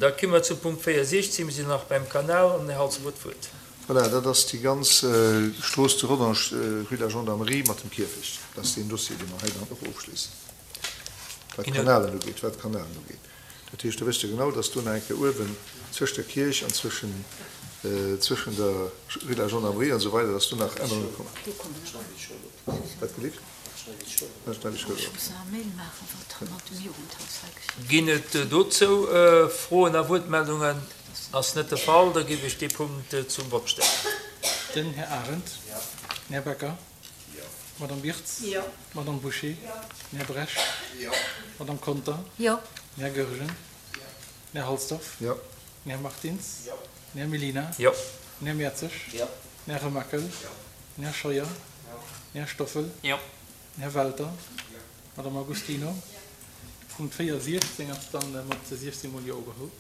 Da komme mer zum Punkt 64. Mir sinn nach beim Kanal an den Här Halsdorf huet d'Wuert. Voilà, dat ass déi ganz Strooss zu Rodange, rue de la Gendarmerie mat dem Kierfecht. Dat ass deen Dossier, dee mer hei dann och ofschléissen, wat d'Kanalen ugeet, wat d'Kanalen ugeet. Dat heescht, do wësst Der genau, dass do nach eng Kéier uewen zwëscht der Kierch an zwëschen, zwëschen der rue de la Gendarmerie an esou weider, dass do nach Ännerunge kommen. Wat gelift? Ginn et dozou Froen a Wuertmeldungen? Ass net de Fall, da géif ech dee Punkt zum Vott stellen. Den Här Arendt. Den Här Becker. D'Madame Wirtz. D'Madame Bouché. Den Här Bresch. D'Madame Conter. Den Här Goergen. Den Här Halsdorf. Den Här Martins. Den Här Mellina. Den Här Mertzig. Den Här Remakel. Den Här Scheuer. Den Här Stoffel. Den Här Welter. D'Madame Agostino. De Punkt 4, 16 ass dann mat 16 mol Jo ugeholl.